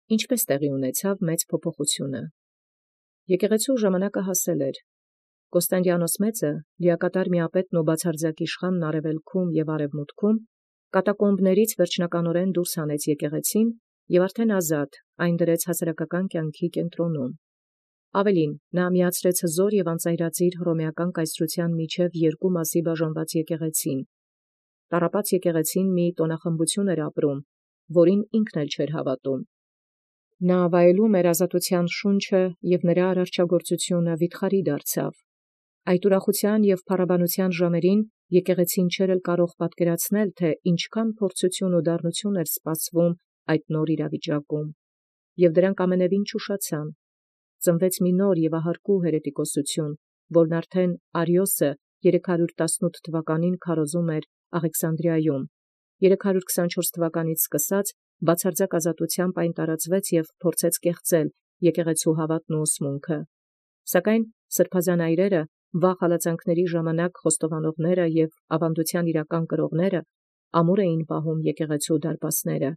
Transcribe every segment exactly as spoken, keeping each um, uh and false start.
Ինչպէս տեղի ունեցաւ մեծ փոփոխութիւնը։ Եկեղեցու ժամանակը հասել էր։ Կոստանդիանոս Մեծը, լիակատար միապետն ու բացարձակ իշխանն արևելքում և արևմուտքում, կատակոմբներից վերջնականորեն դուրս հանեց եկեղեցին և արդեն ազատ այն դրեց հասարակական կյանքի կենտրոնում։ Ավելին, նա միացրեց հզոր և անծայրածիր հռոմեական կայսրութեան միջև երկու մասի բաժանված եկեղեցին։ Տառապած եկեղեցին մի տոնախմբություն էր ապրում, որին ինքն էլ չէր հավատում։ Նա վայելում էր ազատութեան շունչը և նրա արարչագործությունը վիթխարի դարձավ։ Այդ ուրախութեան և փառաբանութեան ժամերին եկեղեցին չէր էլ կարող պատկերացնել, թե ինչքան փորձութիւն ու դառնութիւն էր սպասվում այդ նոր իրավիճակում։ Եւ դրանք ամենևին չուշացան։ Ծնվեց մի նոր և ահարկու հերետիկոսություն, որն արդեն Արիոսը երեք հարյուր տասնութ թվականին քարոզում էր Աղեքսանդրիայում, երեք հարյուր քսանչորս թվականից սկսած բացարձակ ազատութեամբ այն տարածվեց և փորձեց կեղծել եկեղեցու հավատն ու ուսմունքը։ Սակայն սրբազան այրերը, վաղ հալածանքների ժամանակ խոստովանողները և ավանդութեան իրական կրողները ամուր էին պահում եկեղեցու դարպասները։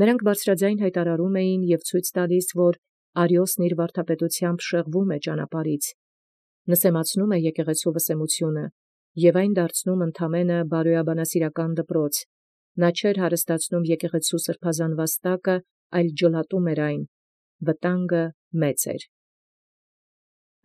Նրանք բարձրաձայն հայտարարում էին և ցույց տալիս, որ Արիոսն իր վարդապետութեամբ շեղվում է ճանապարհից, նսեմացնում է եկեղեցու վսեմությունը և այն դարձնում ընդամենը բարոյաբանասիրական դպրոց։ Նա չէր հարստացնում եկեղեցու սրբազան վաստակը, այլ ջլատում էր այն. վտանգը մեծ էր։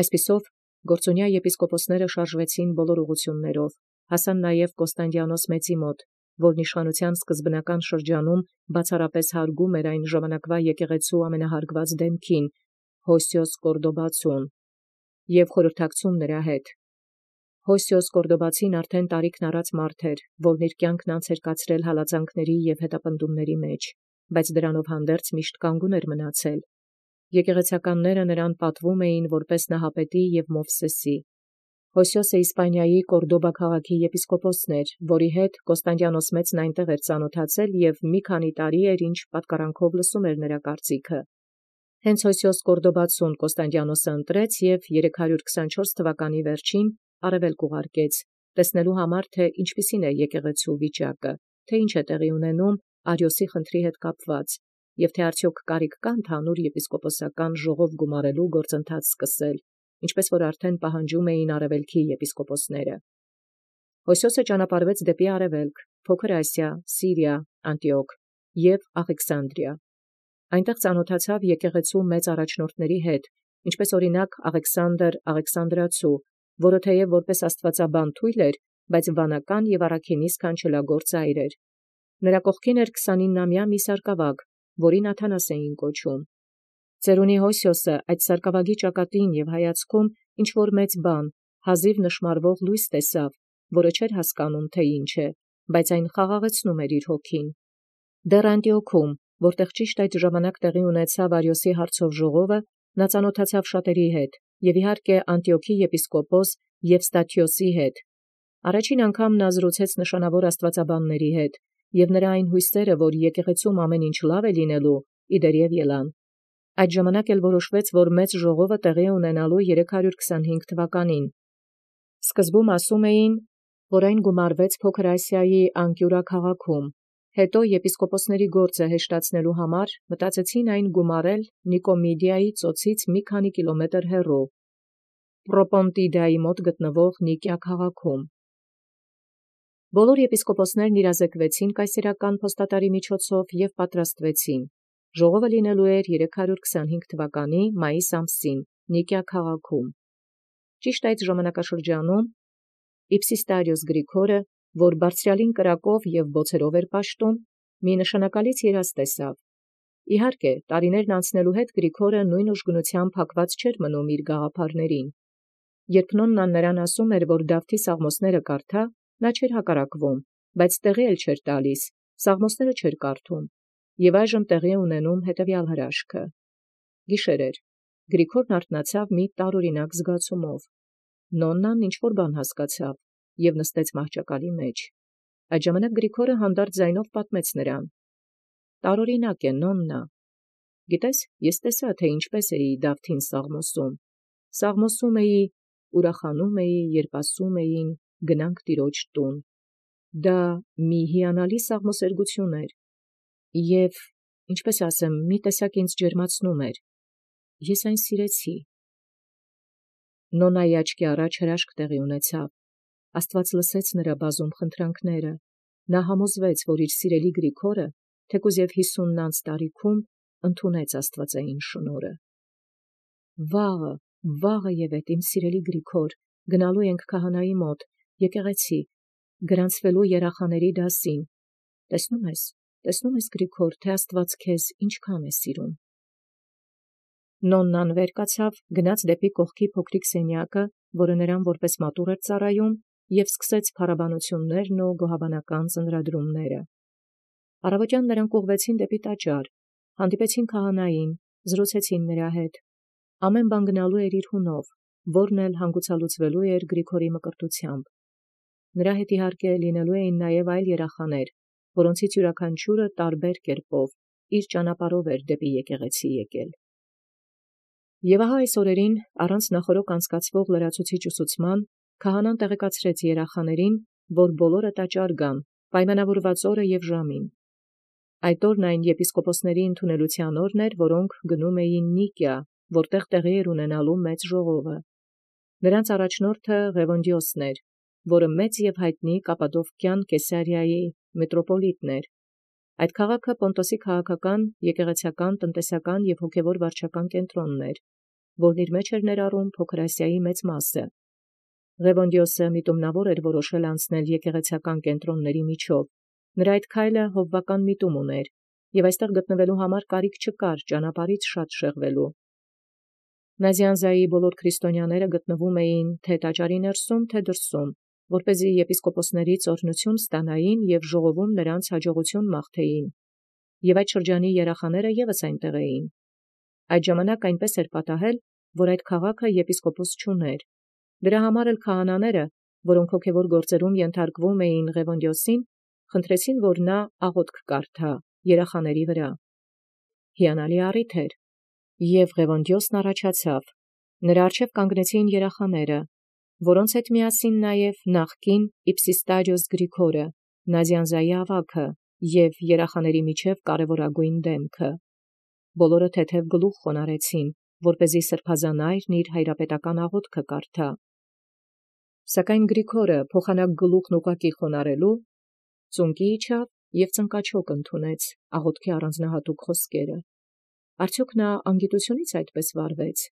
Այսպիսով, գործունյա եպիսկոպոսները շարժվեցին բոլոր ուղղություններով, հասան նաև Կոստանդիանոս Մեծի մոտ, որն իշխանութեան սկզբնական շրջանում բացառապես հարգում էր այն ժամանակվա եկեղեցու ամենահարգված դեմքին, Յոսիոս Կորդոբացուն, և խորհրդակցում նրա հետ։ Յոսիոս Կորդոբացին արդեն տարիքն առած մարդ էր, որն իր կյանքն անց էր կացրել հալածանքների և հետապնդումների մեջ, բայց դրանով հանդերձ միշտ կանգուն էր մնացել։ Եկեղեցականները նրան պատվում էին որպես Նահապետի և Մովսեսի։ Յոսիոսը Իսպանիայի Կորդոբա քաղաքի եպիսկոպոսն էր, որի հետ Կոստանդիանոս Մեծն այնտեղ էր ծանոթացել և մի քանի տարի էր, ինչ պատկարանքով լսում էր նրա կարծիքը։ Հենց Յոսիոս Կորդոբացուն Կոստանդիանոսը ընտրեց և երեք հարյուր քսանչորս թվականի վերջին արևելք ուղարկեց, տեսնելու համար, թե ինչպիսին է եկեղեցու վիճակը, թե ինչ է տեղի ունենում Արիոսի խնդրի հետ կապված, և թե արդյոք կարիք կա ընդհանուր եպիսկոպոսական ժողով գումարելու գործընթաց սկսել, ինչպես որ արդեն պահանջում էին արևելքի եպիսկոպոսները։ Յոսիոսը ճանապարհվեց դեպի արևելք, Փոքր Ասիա, Սիրիա, Անտիոք և Աղեքսանդրիա։ Այնտեղ ծանոթացավ եկեղեցու մեծ առաջնորդների հետ, ինչպես օրինակ Աղեքսանդր Աղեքսանդրացու, որը թեև որպես աստվածաբան թույլ էր, բայց վանական և առաքինի սքանչելագործ այր էր։ Նրա կողքին էր քսանինամյա մի սարկավագ, որին Աթանաս էին կոչում։ Ծերունի Յոսիոսը այդ սարկավագի ճակատին և հայացքում ինչ-որ մեծ բան, հազիվ նշմարվող լույս տեսավ, որը չէր հասկանում, թե ինչ է, բայց այն խաղաղեցնում էր իր հոգին։ Դեռ Անտիոքում, որտեղ ճիշտ այդ ժամանակ տեղի ունեցավ Արիոսի հարցով ժողովը, նա ծանոթացավ շատերի հետ, և իհարկե Անտիոքի եպիսկոպոս Եվստաթիոսի հետ։ Առաջին անգամ նա զրուցեց նշանավոր աստվածաբանների հետ, և նրա այն հույսերը, որ եկեղեցում ամեն ինչ լավ է լինելու, իդերև ելան։ Այդ ժամանակ էլ որոշվեց, որ մեծ ժողովը տեղի է ունենալու երեք հարյուր քսանհինգ թվականին։ Սկզբում ասում էին, որ այն գումարվեց Փոքր Ասիայի Անկիուրա քաղաքում, հետո եպիսկոպոսների գործը հեշտացնելու համար մտածեցին այն գումարել Նիկոմիդիայի ծոցից մի քանի կիլոմետր հեռու, Պրոպոնտիդայի մոտ գտնվող Նիկիա քաղաքում։ Բոլոր եպիսկոպոսներն իրազեկվեցին կայսերական փոստատարի միջոցով և պատրաստվեցին։ Ժողովը լինելու էր երեք հարյուր քսանհինգ թվականի մայիս ամսին Նիկիա քաղաքում։ Ճիշտ այդ ժամանակաշրջանում Իպսիստարիոս Գրիգորը, որ բարձրյալին կրակով և բոցերով էր պաշտում, մի նշանակալից երազ տեսավ։ Իհարկե, տարիներն անցնելու հետ Գրիգորը նույն ուժգնությամբ հակված չէր մնում իր գաղափարներին։ Երբ Նոննան նրան ասում էր, որ Դավթի Սաղմոսները կարդա, նա չէր հակառակվում, բայց տեղի էլ չէր տալիս, Սաղմոսները չէր կարդում, և այժմ տեղի է ունենում հետևյալ հրաշքը։ Գիշեր էր։ Գրիգորն արթնացավ մի տարօրինակ զգացումով։ Նոննան ինչ-որ բան հասկացավ և նստեց մահճակալի մեջ։ Այդ ժամանակ Գրիգորը հանդարտ ձայնով պատմեց նրան. «Տարօրինակ է, Նոննա։ Գիտես, ես տեսա, թե ինչպես էի Դավթին սաղմոսում։ Սաղմոսում էի, ուրախանում էի, երբ ասում էին. գնանք Տիրոջ տուն։ Դա մի հիանալի սաղմոսերգություն էր։ Եվ ինչպես ասեմ, մի տեսակ ինձ ջերմացնում էր։ Ես այն սիրեցի։ Նոնայի աչքի առաջ հրաշք տեղի ունեցավ։ Աստված լսեց նրա բազում խնդրանքները։ Նա համոզվեց, որ իր սիրելի Գրիգորը, թեկուզ և հիսունն անց տարիքում, ընդունեց աստվածային շնորհը։ Վաղը, վաղը և էդ իմ սիրելի Գրիգոր, գնալու ենք քահանայի մոտ, եկեղեցի, գրանցվելու երախաների դասին։ Տեսնում ես, տեսնում ես Գրիգոր, թե Աստված քեզ ինչքան է սիրում։ Նոնն անվեր կացավ, գնաց դեպի կողքի փոքրիկ սենյակը, որը նրան որպես մատուռ էր ծառայում, և սկսեց փառաբանություններն ու գոհաբանական ծննդրադրումները։ Առավոտյան նրանք ուղղվեցին դեպի տաճար, հանդիպեցին քահանային, զրուցեցին նրա հետ։ Ամեն բան գնալու էր իր հունով, որն էլ հանգուցալուծվելու էր Գրիգորի մկրտությամբ։ Նրա հետ իհարկե լինելու էին նաև այլ երախաներ, որոնցից յուրաքանչյուրը տարբեր կերպով իր ճանապարհով էր դեպի եկեղեցի եկել։ Եվ ահա այս օրերին, առանց նախօրոք անցկացվող լրացուցիչ ուսուցման, քահանան տեղեկացրեց երախաներին, որ բոլորը տաճար գան, պայմանավորված օրը և ժամին։ Այդ օրն այն եպիսկոպոսների ընդունելության օրն էր, որոնք գնում էին Նիկիա, որտեղ տեղի էր ունենալու մեծ ժողովը։ Նրանց առաջնորդը Ղևոնդիոսն էր, որը մեծ և հայտնի Կապադովկյան Կեսարիայի մետրոպոլիտն էր։ Այդ քաղաքը Պոնտոսի քաղաքական, եկեղեցական, տնտեսական և հոգևոր վարչական կենտրոնն էր, որն իր մեջ էր ներառում Փոքր Ասիայի մեծ մասը։ Ղևոնդիոսը միտումնավոր էր որոշել անցնել եկեղեցական կենտրոնների միջով։ Նրա այդ քայլը հովվական միտում ուներ, և այստեղ գտնվելու համար կարիք չկար ճանապարհից շատ շեղվելու։ Նազյանզայի բոլոր քրիստոնյաները գտնվում էին թե տաճարի ներսում, թե դրսում, որպեսզի եպիսկոպոսներից օրհնություն ստանային և ժողովում նրանց հաջողություն մաղթեին, և այդ շրջանի երախաները ևս այնտեղ էին։ Այդ ժամանակ այնպես էր պատահել, որ այդ քաղաքը եպիսկոպոս չուներ։ Դրա համար էլ քահանաները, որոնք հոգևոր գործերում ենթարկվում էին Ղևոնդիոսին, խնդրեցին, որ նա աղոթք կարդա երախաների վրա։ Հիանալի առիթ էր, և Ղևոնդիոսն առաջացավ։ Նրա առջև կանգնեցին երախաները, որոնց հետ միասին նաև նախկին Իպսիստարիոս Գրիգորը, Նազյանզայի ավագը և երախաների միջև կարևորագույն դեմքը։ Բոլորը թեթև գլուխ խոնարհեցին, որպեսզի սրբազան այրն իր հայրապետական աղոթքը կարդա։ Սակայն Գրիգորը փոխանակ գլուխն ուղղակի խոնարհելու, ծունկի իջավ և ծնկաչոք ընդունեց աղոթքի առանձնահատուկ խոսքերը։ Արդյոք նա անգիտությունից այդպես վարվեց։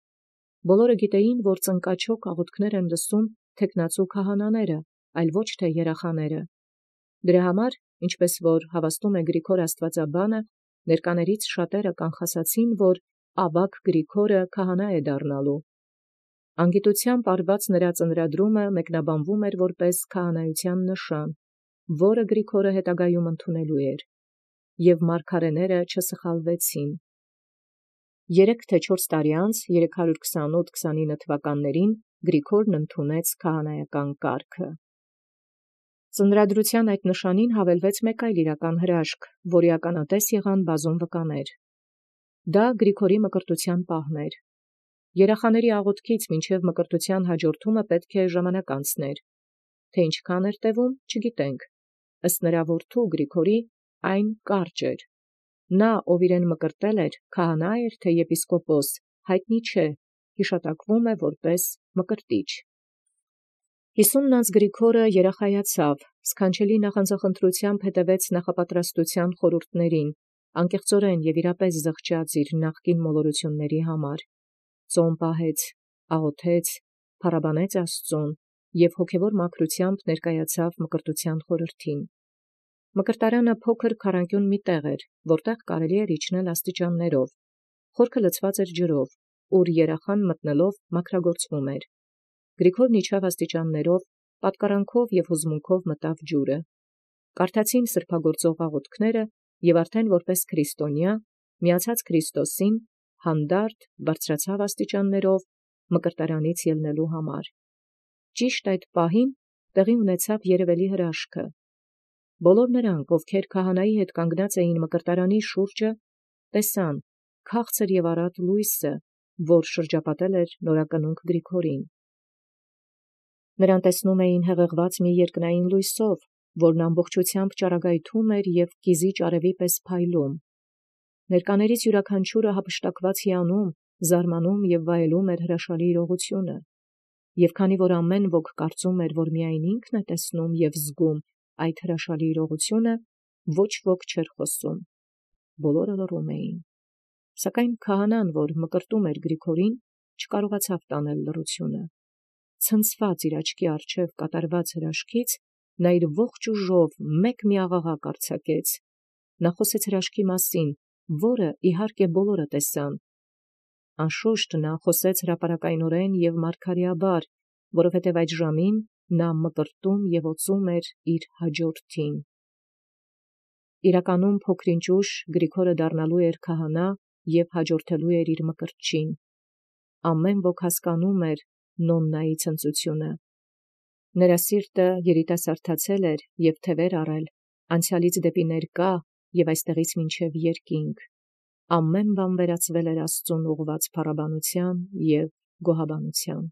Բոլորը գիտեին, որ ծնկաչոք աղոթքներ են լսում թեկնածու քահանաները, այլ ոչ թե երախաները։ Դրա համար, ինչպես որ հավաստում է Գրիգոր աստվածաբանը, ներկաներից շատերը կանխասացին, որ ավագ Գրիգորը քահանա է դառնալու։ Անգիտությամբ արված նրա ծննդրադրումը մեկնաբանվում էր որպես քահանայության նշան, որը Գրիգորը հետագայում ընդունելու էր, և մարգարեները չսխալվեցին։ Երեք թե չորս տարի անց, երեք հարյուր քսանութ քսանինը թվականներին, Գրիգորն ընդունեց քահանայական կարգը։ Ծննդրադրության այդ նշանին հավելվեց մեկ այլ իրական հրաշք, որի ականատես եղան բազում վկաներ։ Դա Գրիգորի մկրտության պահն էր։ Երախաների աղոթքից մինչև մկրտության հաջորդումը պետք է ժամանակ անցներ։ Թե ինչքան էր տևում, չգիտենք։ Ըստ նրա որդու Գրիգորի այն կարճ էր։ Նա, ով իրեն մկրտել էր, քահանա էր թե եպիսկոպոս, հայտնի չէ, հիշատակվում է որպես մկրտիչ։ Հիսունն անց Գրիգորը երախայացավ, սքանչելի նախանձախնդրությամբ հետևեց նախապատրաստության խորհուրդներին, անկեղծորեն և իրապես զղջաց իր նախկին մոլորությունների համար։ Ծոմ պահեց, աղոթեց, փառաբանեց Աստծուն և հոգևոր մաքրությամբ ներկայացավ մկրտության խորհրդին։ Մկրտարանը փոքր քառանկյուն մի տեղ էր, որտեղ կարելի էր իջնել աստիճաններով։ Խորքը լցված էր ջրով, ուր երախան մտնելով մաքրագործվում էր։ Գրիգորն իջավ աստիճաններով, պատկառանքով և հուզմունքով մտավ ջուրը։ Կարդացին սրբագործող աղոթքները, և արդեն որպես քրիստոնյա, միացած Քրիստոսին, հանդարտ բարձրացավ աստիճաններով մկրտարանից ելնելու համար։ Ճիշտ այդ պահին տեղի ունեցավ երևելի հրաշքը։ Բոլոր նրանք, ովքեր քահանայի հետ կանգնած էին մկրտարանի շուրջը, տեսան քաղցր և առատ լույսը, որ շրջապատել էր նորակնունք Գրիգորին։ Նրան տեսնում էին հեղեղված մի երկնային լույսով, որն ամբողջությամբ ճառագայթում էր և կիզիչ արևի պես փայլում։ Ներկաներից յուրաքանչյուրը հափշտակված հիանում, զարմանում և վայելում էր հրաշալի իրողությունը, և քանի որ ամեն ոք կարծում էր, որ միայն ինքն է տեսնում և զգում այդ հրաշալի իրողությունը, ոչ ոք չէր խոսում, բոլորը լռում էին, սակայն քահանան, որ մկրտում էր Գրիգորին, չկարողացավ տանել լռությունը, ցնցված իր աչքի առջև կատարված հրաշքից, նա իր ողջ ուժով մեկ մի աղաղակ արձակեց, նա խոսեց հրաշքի մասին, որը իհարկե բոլորը տեսան, անշուշտ նա խոսեց հրապարակայնորեն և մարգարեաբար, որովհետև այդ ժամին նա մկրտում և օծում էր իր հաջորդին։ Իրականում փոքրինչ ուշ Գրիգորը դառնալու էր քահանա և հաջորդելու էր իր մկրտչին։ Ամեն ոք հասկանում էր Նոննայի ցնծությունը։ Նրա սիրտը երիտասարդացել էր և թևեր առել, անցյալից դեպի ներկա և այստեղից մինչև երկինք, ամեն բան վերածվել էր Աստծուն ուղղված փառաբանության և գոհաբանության։